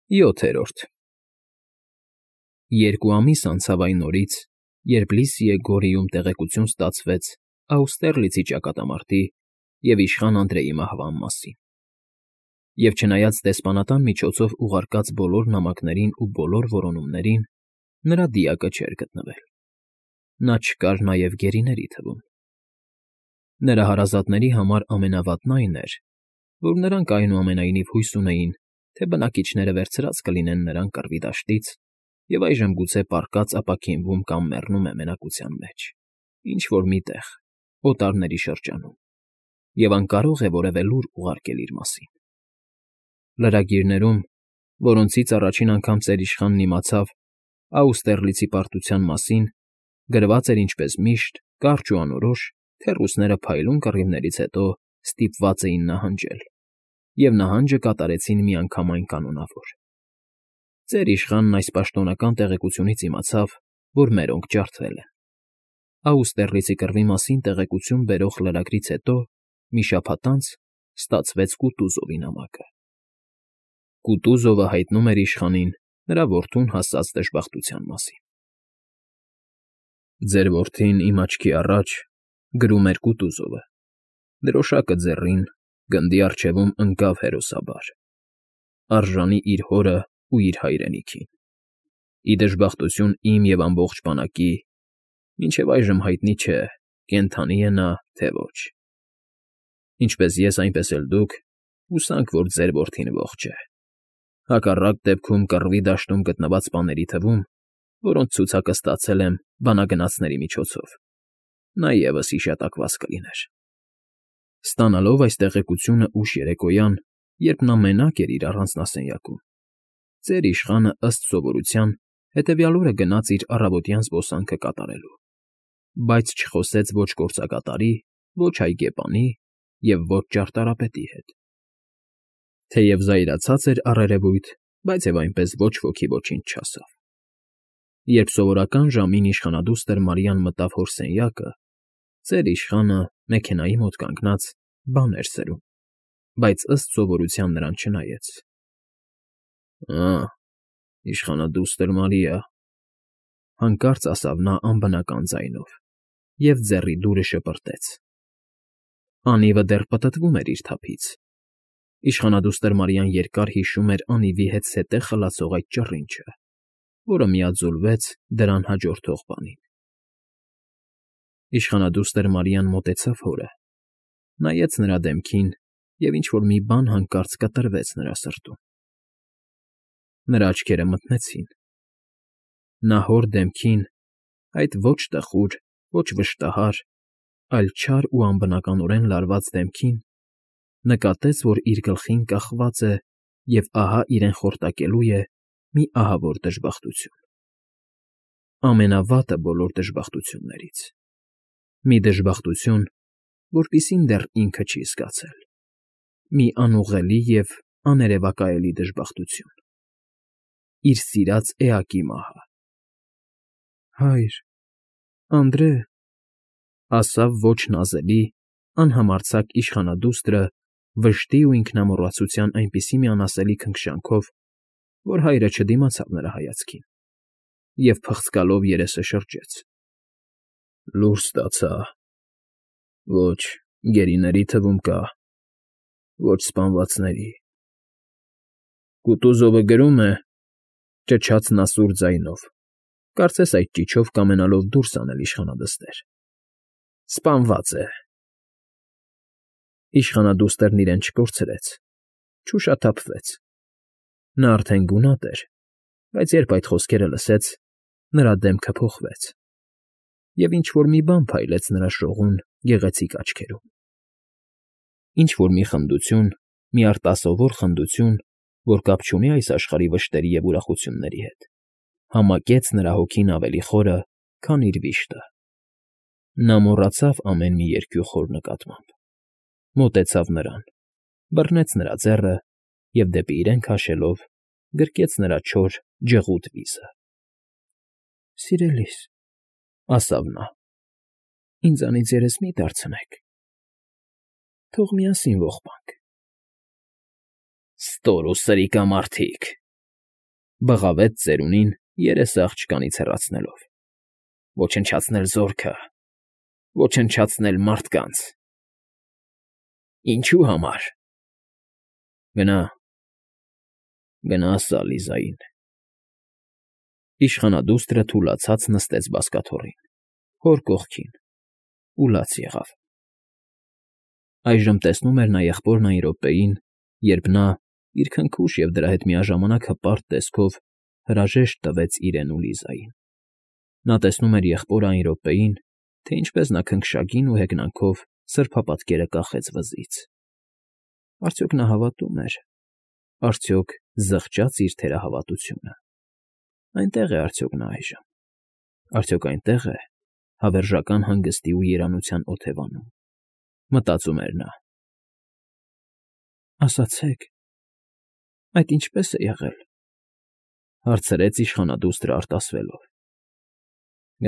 7-րդ Երկու ամիս անցավ այն օրից, երբ Լիսիե Գորիում տեղեկություն ստացվեց Աուստերլիցի ճակատամարտի և իշխան Անդրեի մահվան մասին, և չնայած դեսպանատան միջոցով ուղարկած բոլոր նամակներին ու բոլոր որոնումներին, նրա դիակը չէր գտնվել. նա չկար նաև գերիների թվում։ Նրա հարազատների համար ամենավատն այն էր, որ նրանք այնուամենայնիվ հույս ունեին, թե բնակիչները վերցրած կլինեն նրան կռվի դաշտից և այժմ գուցե պառկած ապաքինվում կամ մեռնում է մենակության մեջ, ինչ֊որ մի տեղ, օտարների շրջանում, և անկարող է որևէ լուր ուղարկել իր մասին։ Լրագիրներում, որոնցից առաջին անգամ ծեր իշխանն իմացավ Աուստերլիցի պարտության մասին, գրված էր ինչպես միշտ, կարճ ու անորոշ, թե ռուսները փայլուն կռիվներից հետո ստիպված էին նահանջել, և նահանջը կատարեցին միանգամայն կանոնավոր։ Ծեր իշխանն այս պաշտոնական տեղեկությունից իմացավ, որ մերոնք ջարդվել են։ Աուստերլիցի կռվի մասին տեղեկություն բերող լրագրից հետո մի շաբաթ անց ստացվեց Կուտուզովի նամակը։ Կուտուզովը հայտնում էր իշխանին նրա որդուն հասած դժբախտության մասին։ «Ձեր որդին իմ աչքի առաջ,֊ գրում էր Կուտուզովը,֊ դրոշակը ձեռին, գնդի առջևում ընկավ հերոսաբար, արժանի իր հորն ու իր հայրենիքին։ Ի դժբախտություն իմ և ամբողջ բանակի, մինչև այժմ հայտնի չէ՝ կենդանի է նա, թե ոչ։ Ինչպես ես, այնպես էլ դուք հուսանք, որ ձեր որդին ողջ է։ Հակառակ դեպքում կռվի դաշտում գտնված սպաների թվում, որոնց ցուցակը ստացել եմ բանագնացների միջոցով, նա ևս հիշատակված կլիներ»։ Ստանալով այս տեղեկությունը ուշ երեկոյան, երբ նա մենակ էր իր առանձնասենյակում, ծեր իշխանը, ըստ սովորության, հետևյալ օրը գնաց իր առավոտյան զբոսանքը կատարելու, բայց չխոսեց ոչ գործակատարի, ոչ այգեպանի և ոչ ճարտարապետի հետ։ Թեև զայրացած էր առերևույթ, բայց և այնպես ոչ ոքի ոչինչ չասավ։ Երբ սովորական ժամին իշխանադուստր Մարիան մտավ հոր սենյակը, ծեր իշխանը, մեքենայի մոտ կանգնած, բան էր սրում, բայց ըստ սովորության նրան չնայեց։ «Ա՜, իշխանադուստր Մարիա,֊ հանկարծ ասավ նա անբնական ձայնով և ձեռի դուրը շպրտեց։ Անիվը դեռ պտտվում էր իր թափից։ Իշխանադուստր Մարիան երկար հիշում էր անիվի հետ սետեղ խլացող այդ ճռինչը, որը միաձուլվեց դրան հաջորդող բանին։ Իշխանադուստր Մարիան մոտեցավ հորը, նայեց նրա դեմքին և ինչ֊որ մի բան հանկարծ կտրվեց նրա սրտում։ Նրա աչքերը մթնեցին։ Նա հոր դեմքին, այդ ոչ տխուր, ոչ վշտահար, այլ չար ու անբնականորեն լարված դեմքին, նկատեց, որ իր գլխին կախված է և ահա իրեն խորտակելու է մի ահավոր դժբախտություն։ Ամենավատը բոլոր դժբախտություններից։ Մի դժբախտություն, որպիսին դեռ ինքը չի զգացել։ Մի անուղղելի և աներևակայելի դժբախտություն։ Իր սիրած էակի մահը։ «Հայր… Անդրե…֊ ասավ ոչ նազելի, անհամարձակ իշխանադուստրը վշտի ու ինքնամոռացության այնպիսի մի անասելի քնքշանքով, որ հայրը չդիմացավ նրա հայացքին և փղցկալով երեսը շրջեց։ Լուր ստացա… Ոչ գերիների թվում կա, ոչ սպանվածների… Կուտուզովը գրում է,֊ ճչաց նա սուր ձայնով, կարծես այդ ճիչով կամենալով դուրս անել իշխանադստեր,֊ սպանված է… Իշխանադուստրն իրեն չկորցրեց, չուշաթափվեց։ Նա արդեն գունատ էր, բայց երբ այդ խոսքերը լսեց, նրա դեմքը փոխվեց, և ինչ֊որ մի բան փայլեց նրա շողուն, գեղեցիկ աչքերում։ Ինչ֊որ մի խնդություն, մի արտասովոր խնդություն, որ կապ չունի այս աշխարհի վշտերի և ուրախությունների հետ, համակեց նրա հոգին ավելի խորը, քան իր վիշտը։ Նա մոռացավ ամեն մի երկյուղ հոր նկատմամբ, մոտեցավ նրան, բռնեց նրա ձեռը և դեպի իրեն քաշելով գրկեց նրա չոր, ջղուտ վիզը։ «Սիրելիս,֊ ասավ նա,֊ ինձանից երես մի՛ դարձնեք… Թող միասին ողբանք»։ «Ստոր ու սրիկամարդիկ,֊ Բղավեց ծերունին, երեսը աղջկանից հեռացնելով։ Ոչնչացնել զորքը, ոչնչացնել մարդկանց։ Ինչու համար։ Գնա, գնա սա Լիզային։ Իշխանադուստրը թուլացած նստեց բազկաթոռին, հոր կողքին, ու լաց եղավ։ Այժմ տեսնում էր նա եղբորն այն րոպեին, երբ նա, իր քնքուշ և դրա հետ միաժամանակ հպարտ տեսքով հրաժեշտ տվեց իրեն ու Լիզային։ Նա տեսնում էր եղբորը այն րոպեին, թե ինչպես նա քնքշագին ու հեգնանքով սրբապատկերը կախեց վզից։ Արդյոք նա հավատում էր, արդյոք զղջաց իր թերահավատությունը։ Այնտեղ է արդյոք նա այժմ, արդյոք այնտեղ է հավերժական հանգստի ու երանության օթևանում, մտածում էր նա։ Ասացեք, այդ ինչպե՞ս է եղել, հարցրեց իշխանադուստրը արտասվելով։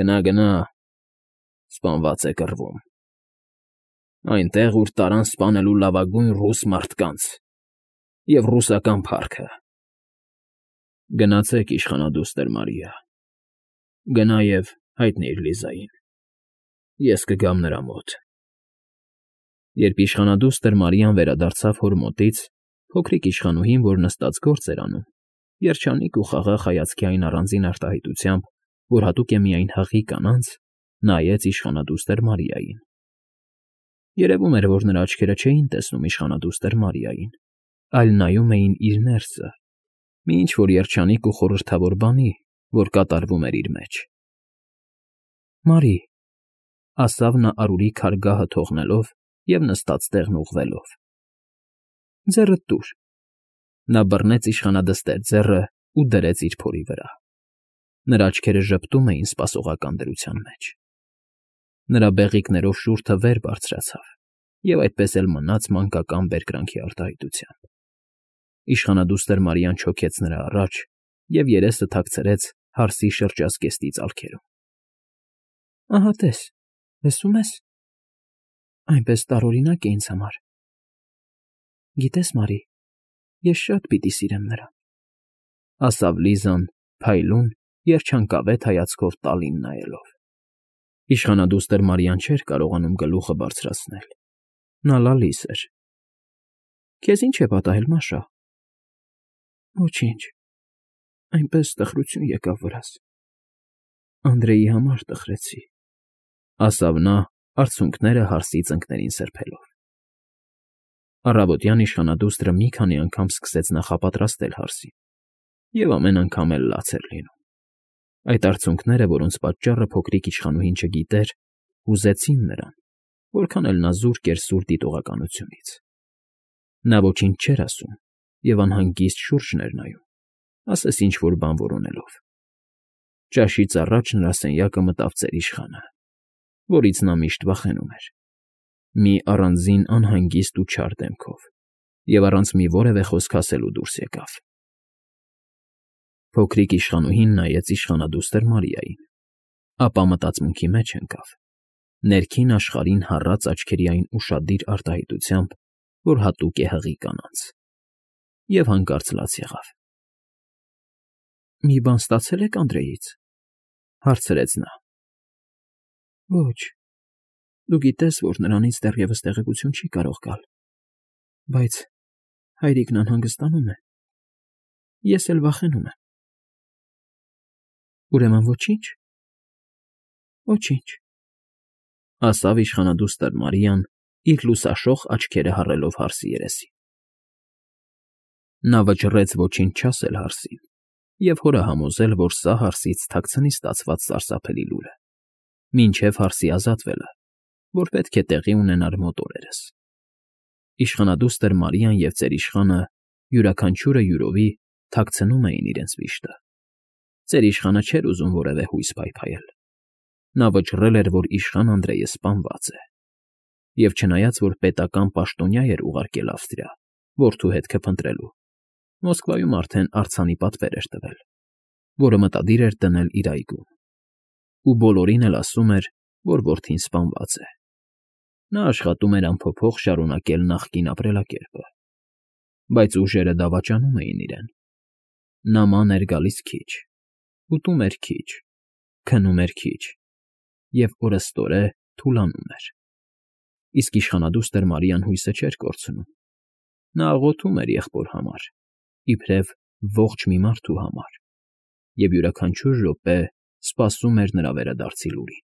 Գնա, գնա, սպանված է կռվում։ Այնտեղ, ուր տարան սպանելու լավագույն ռուս մարդկանց և ռուսական փառքը։ Գնացեք, իշխանադուստր Մարիա, գնա և հայտնիր Լիզային, ես կգամ նրա մոտ։ Երբ իշխանադուստր Մարիան վերադարձավ հոր մոտից, փոքրիկ իշխանուհին, որ նստած գործ էր անում, երջանիկ ու խաղաղ հայացքի այն առանձին արտահայտությամբ, որ հատուկ է միայն հղի կանանց, նայեց իշխանադուստր Մարիային։ Երևում էր, որ նրա աչքերը չէին տեսնում իշխանադուստր Մարիային, այլ նայում էին իր ներսը, մի ինչ-որ երջանիկ ու խորհրդավոր բանի, որ կատարվում էր իր մեջ։ Մարի, ասավ նա արուրի քարգահը թողնելով և նստած տեղն ուղղվելով։ Ձեռդ տուր։ Նա բռնեց իշխանադստեր ձեռը ու դրեց իր փորի վրա։ Նրա աչքերը ժպտում էին սպասողական դրության մեջ։ Նրա բեղիկներով շուրթը վեր բարձրացավ և այդպես էլ մնաց մանկական բերկրանքի արտահայտությամբ։ Իշխանադուստր Մարիան չոքեց նրա առաջ և երեսը թաքցրեց հարսի շրջազգեստի ծալքերում։ Ահա տես, լսում ես։ Այնպես տարօրինակ է ինձ համար։ Գիտես, Մարի, ես շատ պիտի սիրեմ նրան, ասավ Լիզան փայլուն, երջանկավետ հայացքով տալին նայելով։ Իշխանադուստր Մարիան չէր կարողանում գլուխը բարձրացնել։ Նա լալիս էր։ Քեզ ինչ է պատահել, Մաշա։ Ոչինչ, այնպես տխրություն եկավ վրաս։ Անդրեի համար տխրեցի, ասավ նա, արցունքները հարսի ծնկներին սրբելով։ Առավոտյան իշխանադուստրը մի քանի անգամ սկսեց նախապատրաստել հարսին, և ամեն անգամ էլ լաց էր լինում։ Այդ արցունքները, որոնց պատճառը փոքրիկ իշխանուհին չգիտեր, հուզեցին նրան, որքան էլ նա զուրկ էր սուր դիտողականությունից։ Նա ոչինչ չէր ասում և անհանգիստ շուրջն էր նայում, ասես ինչ֊որ բան որոնելով։ Ճաշից առաջ նրա սենյակը մտավ ծերիշխանը, որից նա միշտ վախենում էր, մի առանձին անհանգիստ ու չար դեմքով, և առանց մի որևէ խոսք ասելու դուրս եկավ։ Փոքրիկ իշխանուհին նայեց իշխանադուստր Մարիային, ապա մտածմունքի մեջ ընկավ, ներքին աշխարհին հառած աչքերի այն ուշադիր արտահայտությամբ, որ հատուկ է հղի կանանց, և հանկարծ լաց եղավ։ Մի բան ստացե՞լ եք Անդրեից, հարցրեց նա։ Ոչ, դու գիտես, որ նրանից դեռևս տեղեկություն չի կարող գալ, բայց հայրիկն անհանգստանում է, ես էլ վախենում եմ։ Ուրեմն ոչի՞նչ։ Ոչինչ, ասավ իշխանադուստր Մարիան, իր լուսաշող աչքերը հառելով հարսի երեսին։ Նա վճռեց ոչինչ չասել հարսին և հորը համոզել, որ սա հարսից թաքցնի ստացված սարսափելի լուրը, մինչև հարսի ազատվելը, որ պետք է տեղի ունենար մոտ օրերս։ Իշխանադուստր Մարիան և ծերիշխանը յուրաքանչյուրը յուրովի թաքցնում էին իրենց վիշտը։ Ծերիշխանը չէր ուզում որևէ հույս փայփայել։ Նա վճռել էր, որ իշխան Անդրեյը սպանված է։ Եվ չնայած, որ պետական պաշտոնյա էր ուղարկել Ավստրիա, որդու հետքը փնտրելու, Մոսկվայում արդեն արձանի պատվեր էր տվել, որը մտադիր էր դնել իր այգում։ Ու բոլորին էլ ասում էր, որ որդին սպանված է։ Նա աշխատում էր անփոփոխ շարունակել նախկին ապրելակերպը, բայց ուժերը դավաճանում էին իրեն։ Նա ման էր գալիս քիչ, ուտում էր քիչ, քնում էր քիչ և օրըստօրե թուլանում էր, իսկ իշխանադուստր Մարիան հույսը չէր կորցնում. նա աղոթում էր եղբոր համար, իբրև ողջ մի մարդու համար, և յուրաքանչյուր րոպե սպասում էր նրա վերադարձի լուրին։